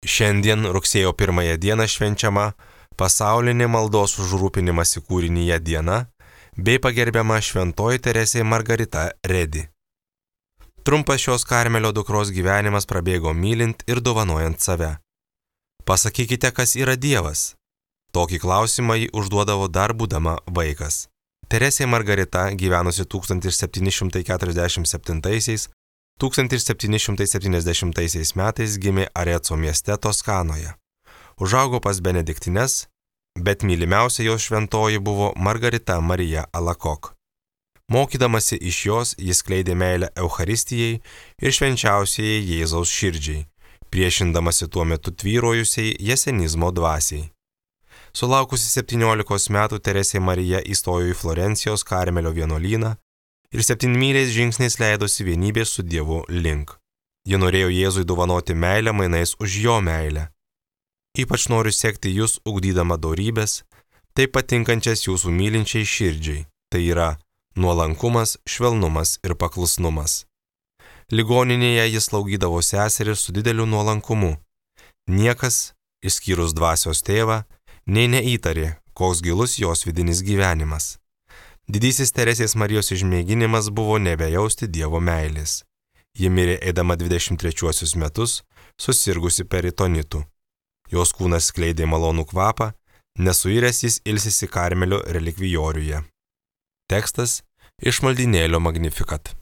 Šiandien rugsėjo 1 dieną švenčiama pasaulinė maldos už rūpinimąsi kūrinyje diena bei pagerbiama šventoji Teresė Margarita Redi. Trumpas šios Karmelio dukros gyvenimas prabėgo mylint ir dovanojant save. Pasakykite, kas yra Dievas. Tokį klausimą ji užduodavo dar būdama vaikas. Teresė Margarita, gyvenusi 1747–1770 metais, gimė Areco mieste Toskanoje. Užaugo pas benediktines, bet mylimiausia jos šventoji buvo Margarita Marija Alakok. Mokydamasi iš jos, jis skleidė meilę Eucharistijai ir švenčiausiai Jėzaus širdžiai, priešindamasi tuo metu tvyrojusiai jesenizmo dvasiai. Sulaukusi 17 metų Teresė Marija įstojo į Florencijos Karmelio vienuolyną ir 7 žingsniais leidosi vienybės su Dievu link. Ji norėjo Jėzui dovanoti meilę mainais už jo meilę. Ypač noriu sekti jūs ugdydama dorybės, taip patinkančias jūsų mylinčiai širdžiai, tai yra nuolankumas, švelnumas ir paklusnumas. Ligoninėje jis slaugydavo seseris su dideliu nuolankumu. Niekas, išskyrus dvasios tėvą, nei neįtarė, koks gilus jos vidinis gyvenimas. Didysis Teresės Marijos išmėginimas buvo nebejausti Dievo meilės. Ji mirė eidama 23 metus, susirgusi peritonitu. Jos kūnas skleidė malonų kvapą, nesuiręs jis ilsisi Karmelio relikvijoriuje. Tekstas iš maldynėlio Magnificat.